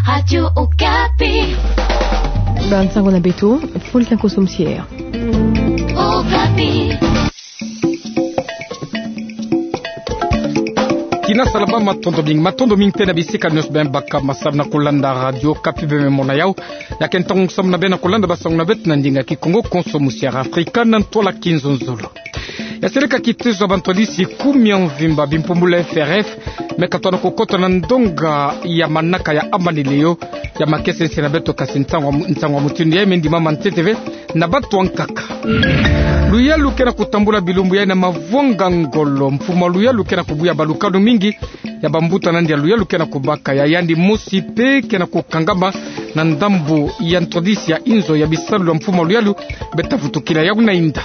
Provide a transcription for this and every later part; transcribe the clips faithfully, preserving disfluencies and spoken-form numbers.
Radio Okapi. Ba nsango na beto, Fulkin Kosomsier. Okapi. Tina salama, matondo mingi, matondo mingi tena bisika nyonso beno baka masamu na kolanda Radio Okapi, beno me mona yau. Ya ke ntangu samu na beno na kolanda ba nsango na beto na ndinga Kikongo, konso musiara Afrika na ntwala kinzonzolo. Ya seleka kitezo ya bantwadisi kumi ya mvimba bimpumbulu ya F R F me katona kokota na ndonga ya manaka ya Amani Leo, ya makesa insi na beto. Kasi nsangu, nsangu mutindu yayi me ndimama ntete ve na batu ankaka. Luyalu ke na kutambula bilumbu yayi na mavwanga ngolo. Mfumu a luyalu ke na kubuya balukanu mingi, ya bambuta na yandi ya luyalu ke na kubaka, ya yandi mosi pe ke na kukangama na ndambu ya ntwadisi ya inzo ya bisalu ya mfumu a luyalu beta vutukila yau na inda.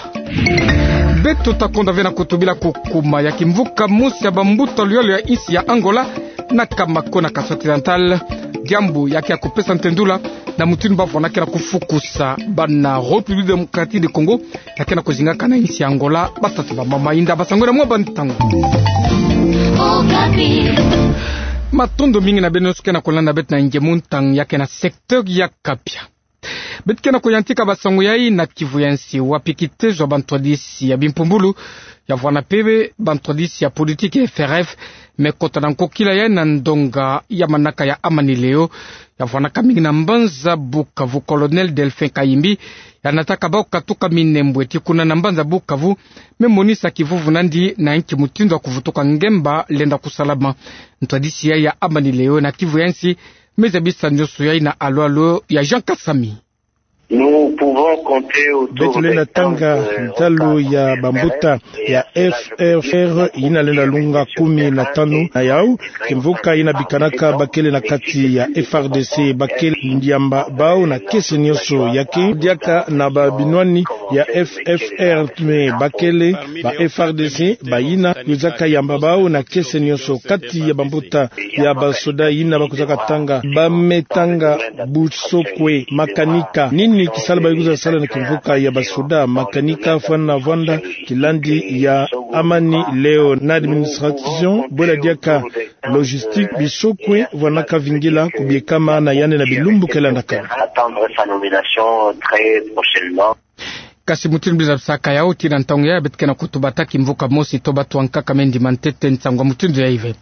Beto ta konda ve na kutubila kukuma ya kimvuka mosi ya bambuta luyalu ya insi ya Angola, na Kamako na Kasai Occidental, diambu ya ke ya kupesa ntendula na mutindu bavwandaka na kufukusa bana République Démocratique du Congo, ya ke na kuzingaka na insi ya Angola, batata, bamama, inda, ba sangwela mwa bantangu. Matondo mingi na beno nyonso ke na kolanda beto na nge mu ntangu ya ke na secteur ya Kapia. Beto ke na kuyantika ba nsangu yayi na kivu ya insi, wapi kitezo ya bantwadisi ya bimpumbulu, ya vwanda pe bantwadisi ya politiki ya F R F, me kota na nkokila yayi na ndonga ya manaka ya Amani Leo, ya vwandaka mingi na mbanza Bukavu. Colonel Delphin Kayimbi, ya nataka bau katuka Minembwe tii kuna na mbanza Bukavu, me monisa kivuvu na yandi na nki mutindu ya kuvutuka ngemba lenda kusalama. Ntwadisi yayi ya Amani Leo na kivu ya insi, me zabisa nyonso yayi na alo-alo ya Jean Kasami. Nous pouvons compter autour de quinze, euh, ntalu ya bambuta ya F R F yina lenda lunga kumi na tanu na yau, kimvuka yina bikanaka bakele na kati ya F R D C, bakele yamba bau na kese nyonso. Ya ke diaka na babinwani ya F R F, mais bakele ba F R D C, bayina kwizaka yamba bau na kese nyonso. Kati ya bambuta ya basoda yina bakwizaka tanga, ba me tanga busokwe, makanika. Nini kisalu ba kwiza sala na kimvuka ya basoda, makanika, fwana vwanda kilandi ya Amani Leo na administration, bwela diaka logistique, bisokwe vwanaka vingila kubiekama na yandi na bilumbu ke landaka. Attendre sa nomination très prochainement. Kasi mutindu biza bisaka yau, tii na ntangu yayi beto ke na kutuba ta kimvuka mosi to batu ankaka me ndima ntete nsangu mutindu yayi ve.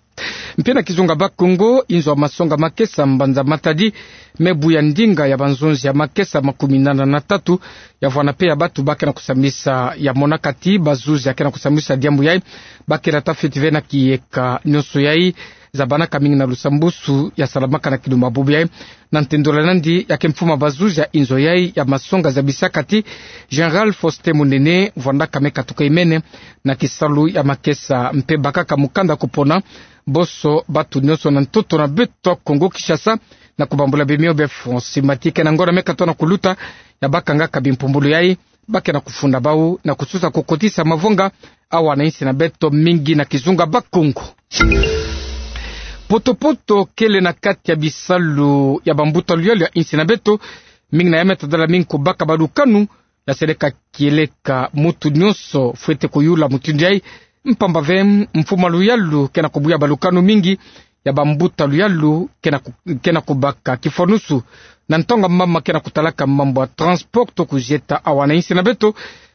Mpe na kizunga Bakongo, inzo ya masonga makesa mbanza Matadi me buya ndinga ya banzonzi ya makesa makumi nana na tatu, ya vwanda pe ya batu ba ke na kusambisa, ya monaka tii bazuzi ya ke na kusambisa diambu yayi, ba ke na tafiti ve na kiyeka nyonso yayi, zabanaka mingi na lusambusu ya salamaka na kilumbu bubu yayi. Na ntendula na yandi, ya ke mfumu a bazuzi ya inzo yayi ya masonga, zabisaka tii Général Faustin Munene, vwandaka me katuka imene na kisalu ya makesa mpe bakaka mukanda kupona boso batu nyonso na ntoto na beto Kongo Kinshasa, na kubambula bimio bia France. Mati ke na ngonda me katona kuluta, ya bakangaka bimpumbulu yayi, ba ke na kufunda bau na kususa kukotisa mavonga awa na insi na beto, mingi na kizunga Bakongo. Poto-poto kele na kati ya bisalu ya bambuta luyalu ya insi na beto, mingi na ya me tadala mingi kubaka balukanu, ya seleka kieleka mutu nyonso fwete kuyula mutindu yayi, mpamba ve mfumu a luyalu ke na kubuya balukanu mingi ya bambuta luyalu ke na ku-, ke na kubaka. Kifwanusu, na ntangu mama ke na kutalaka mambu ya transport to kuzieta awa na insi na beto,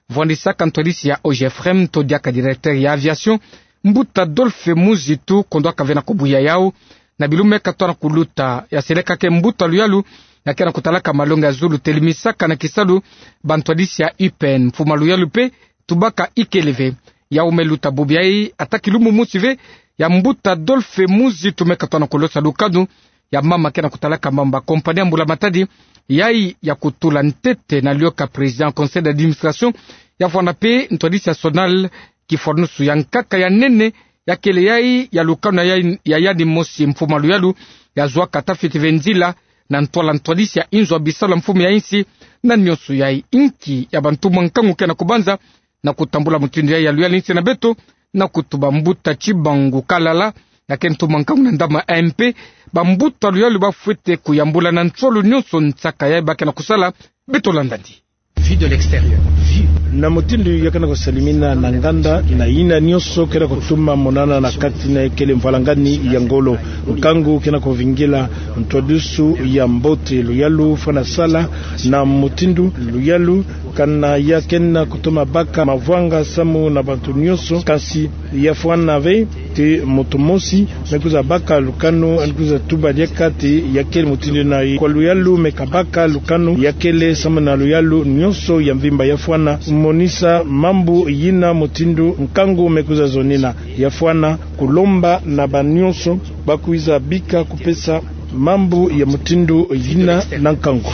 vwandisaka ntwadisi ya O G F R M to diaka directeur ya aviation, mbuta Adolphe Muzitu, kondwaka ve na kubuya yau na bilumbu me katona kuluta, ya seleka ke mbuta luyalu ya ke na kutalaka malongi ya zulu, telimisaka na kisalu bantwadisi ya U P N. Mfumu a luyalu pe tubaka ikele ve. Yau me luta bubu yayi, ata kilumbu mosi ve, ya mbuta Adolphe Muzitu me katona kulosa lukanu ya mama ke na kutalaka mambu ya compagnie ya mbula-matadi, yayi ya kutula ntete na lioka président conseil d'administration, ya vwanda pe ntwadisi ya SONAL. Kifwanusu ya nkaka ya nene ya kele yayi ya lukanu ya, ya yandi mosi, mfumu a luyalu ya zwaka tafiti ve nzila na ntwala ntwadisi ya inzo ya bisalu ya mfumu ya insi. Na nyonso yayi, inki ya bantu mwa nkangu ke na kubanza na kutambula mutindu yayi ya luyalu insi na beto, na kutuba mbuta Tshibangu Kalala, ya ke ntumwa nkangu na ndambu A M P, bambuta luyalu ba fwete kuyambula na nsolo nyonso nsaka yayi ba ke na kusala. Beto landa yandi. Vue de l'extérieur. Vue. Na mutindu ya ke na kusalimina na nganda na yina nyonso ke na kutuma monana na kati na ekele mvwalangani ya ngolo. Nkangu ke na kuvingila ntwadisi ya mbote, luyalu fwana sala na mutindu luyalu, kana ya ke na kutuma baka mavwanga samu na bantu nyonso, kansi ya fwana ve te muntu mosi me kwiza baka lukanu, yandi kwiza tuba diaka te ya kele mutindu na ye. Kwa luyalu me kabaka lukanu ya kele samu na luyalu nyonso ya mvimba. Ya fwana monisa mambu yina mutindu nkangu me kwiza zonina. Ya fwana kulomba na banyonso ba kwiza bika kupesa mambu ya mutindu yina na nkangu.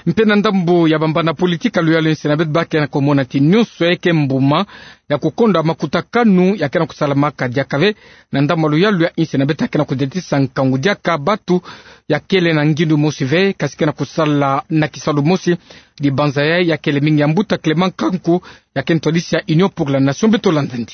Mpe na ndambu ya bambana politika, luyalu yinsi na beto ba ke na kumona ti nyonso ya ke mbuma ya kukonda makutakanu ya ke na kusalamaka diaka ve. Na ndambu ya luyalu ya yinsi na beto ya ke na kudiatisa nkangu diaka batu ya kele na ngindu mosi ve, kansi ke na kusala na kisalu mosi. Dibanza yayi ya kele mingi ya mbuta Clément Nkanku, ya ke ntwadisi ya Union pour la Nation, beto landa ndi.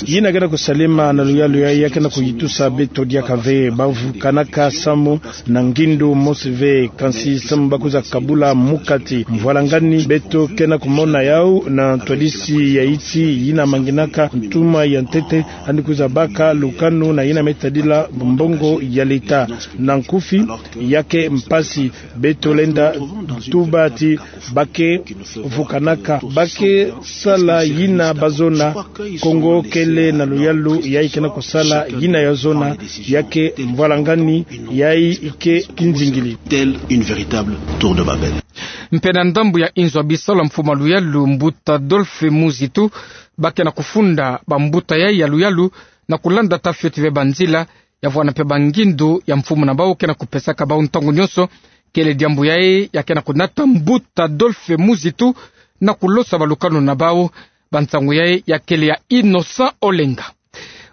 Yina ke na kusalema na luyalu yayi ya ke na kuyitusa beto diaka ve. Ba vukanaka samu na ngindu mosi ve, kansi samu ba kwiza kabula mukati. Mvwalangani beto ke na kumona yau na ntwadisi ya insi yina manginaka ntuma ya ntete, yandi kwiza baka lukanu na yina me tadila mbongo ya leta. Na nkufi, ya ke mpasi. Beto lenda tuba ti ba ke vukanaka, ba ke sala yina ba zona. Kongo kele na luyalu yayi ke na kusala yina ya zona. Ya ke mvwalangani yayi ke kinzingili. Telle une véritable tour de Babel. Mpe na ndambu ya inzo ya bisalu ya mfumu ya luyalu, mbuta Adolphe Muzitu, ba ke na kufunda bambuta yayi ya luyalu na kulanda tata fioti ve banzila, ya vwanda mpe bangindu ya mfumu na bau ke na kupesaka bau ntangu nyonso. Kele diambu yayi ya ke na kunata mbuta Adolphe Muzitu na kulosa balukanu na bau. Bansangu yayi ya kele ya Innocent Olenga.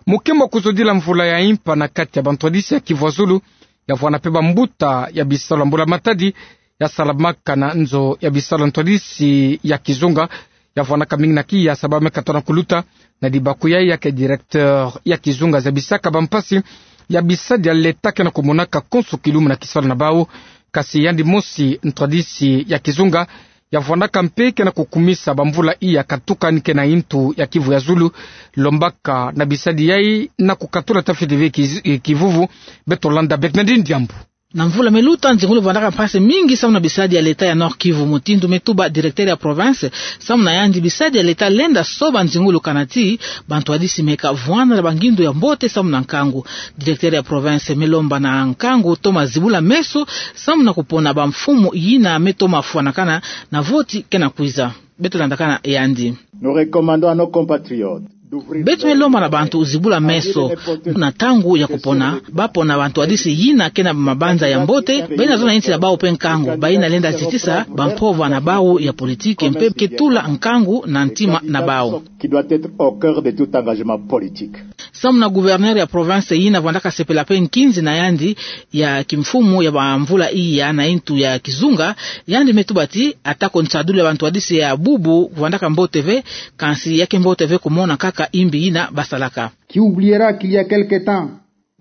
Mukembo kuzodila mvula ya impa na kati ya bantwadisi ya Kivu ya Zulu, ya vwanda mpe bambuta ya bisalu ya mbula matadi, ya salamaka na nzo ya bisalu ya ntwadisi ya kizunga, ya vwandaka mingi na kiya sababu me katono kuluta na dibaku yayi ya ke directeur ya kizunga zabisaka bampasi ya bisadi ya leta ke na kumonaka konso kilumbu na kisalu na bau. Kansi yandi mosi ntwadisi ya kizunga ya vwandaka mpe ke na kukumisa bamvula iya katuka ni ke na intu ya Kivu ya Zulu, lombaka na bisadi yayi na kukatula tata fioti ve kiz-, kivuvu. Beto landa Bernardine Diambu. Na mvula me luta, nzingulu vwandaka mpasi mingi samu na bisadi ya leta ya Nord-Kivu, mutindu me tuba directeur ya province. Samu na yandi, bisadi ya leta lenda soba nzingulu kana ti bantwadisi me kavwanda na bangindu ya mbote samu na nkangu. Directeur ya province me lomba na nkangu toma zibula meso samu na kupona bamfumu yina me toma fwanakana na voti ke na kwiza. Beto landakana yandi. Nous recommandons à nos compatriotes d'ouvrir... Beto me lomba na bantu zibula meso na ntangu ya kupona, ba pona bantwadisi yina ke na mabanza ya mbote, bayina zona insi ya bau mpe nkangu, bayina lenda zitisa bampova na bau ya politiki mpe ke tula nkangu na ntima na bau. Qui doit être au cœur de tout engagement politique. Samu na gouverneur ya province yina vwandaka sepela mpe nkinzi na yandi ya kimfumu ya bamvula iya na intu ya kizunga, yandi me tuba ti atako nsadulu ya bantwadisi ya bubu vwandaka mbote ve, kansi ya ke mbote ve kumona kaka imbi yina basalaka. Qui oubliera qu'il y a quelque temps,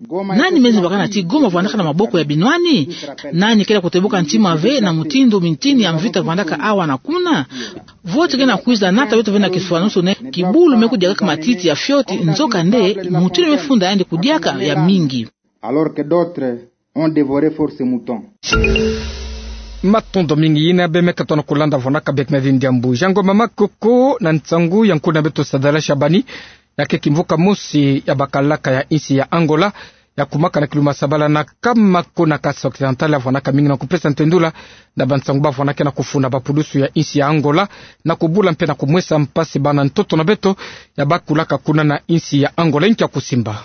Goma... Nani me zibakana ti Goma vwandaka na maboko ya binwani? Nani kele kutebuka ntima ve na mutindu mintini ya mvita vwandaka awa na kuna? Voti ke na kwiza nata beto ve na kiswanusu nde kibulu me kudiakaka matiti ya fioti, nzokande mutindu me funda yandi kudiaka ya mingi. Alors que d'autres ont dévoré force mouton. Matondo mingi. Yina bê me katono kulanda vwandaka Bernardine Diambu. Jango mama koko na nsangu ya nkuna beto Sadala Shabani, ya ke kimvuka mosi ya bakalaka ya insi ya Angola, ya kumaka na kiluma sabala na nkama ko na Kasaï Occidental, ya vwandaka mingi na kupesa ntendula na bansangu ba vwandaka na kufunda bapulusu ya insi ya Angola, na kubula mpe na kumwesa mpasi bana ntoto na beto ya bakulaka kuna na insi ya Angola. Inki ya kusimba?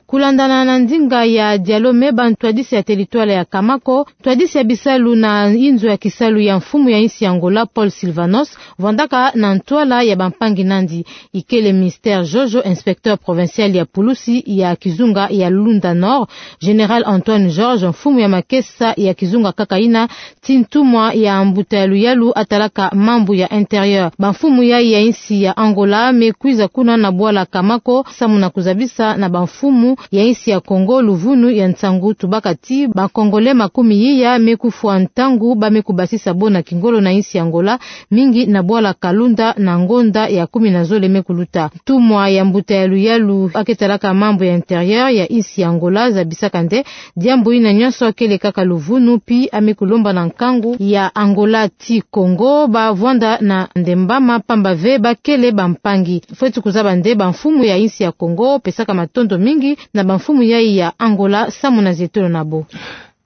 Kulandana na ndinga ya dialo me bantwadisi ya territoire ya Kamako, ntwadisi ya bisalu na inzo ya kisalu ya mfumu ya insi ya Angola, Paul Silvanos, vwandaka na ntwala ya bampangi nandi. Ikele Mister Jojo, inspecteur provincial ya pulusi ya kizunga ya Lunda Nord, Général Antoine Georges, mfumu ya makesa ya kizunga kaka ina, ti ntumwa ya mbuta ya luyalu atalaka mambu ya intérieur. Bamfumu yayi ya insi ya Angola me kwiza kuna na bwala Kamako, samu na kuzabisa na bamfumu ya insi ya Congo luvunu ya nsangu tubaka ti ba Congolais makumi iya me kufwa ntangu ba me kubasisa bo na kingolo na insi ya Angola, mingi na bwala Kalunda na ngonda ya kumi na zole me kuluta. Ntumwa ya mbuta ya luyalu ake talaka mambu ya intérieur ya insi ya Angola zabisaka nde diambu ina nyonso akele kaka luvunu, pi ame kulomba na nkangu ya Angola ti Congo ba vwanda na ndembama pamba ve ba kele bampangi. Fweti kuzaba nde bamfumu ya insi ya Congo pesaka matondo mingi na bamfumu yai ya Angola samu na zietolo na bo.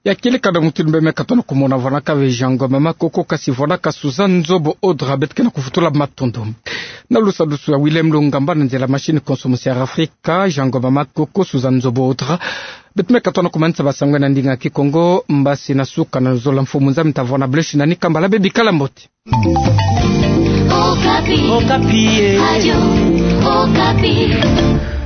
Ya kele kada mutu ni bemeka tona kumona vwanaka ve Jean Ngoma Makoko kasi vwanaka Suzanne Nzobo Odra, beto ke na kufutula matondo. Na lusadusu ya Willem Lungamba, na nzela machine consommation ya Afrika, Jean Ngoma Makoko, Suzanne Nzobo Odra. Beto meka tona kumanisa basango na ndinga Kikongo, mbasi na suka na zola mfumu nzambi ta vwana bleu shi na ni kambala, bebikala mbote. Okapi. Okapi, eh. Radio Okapi.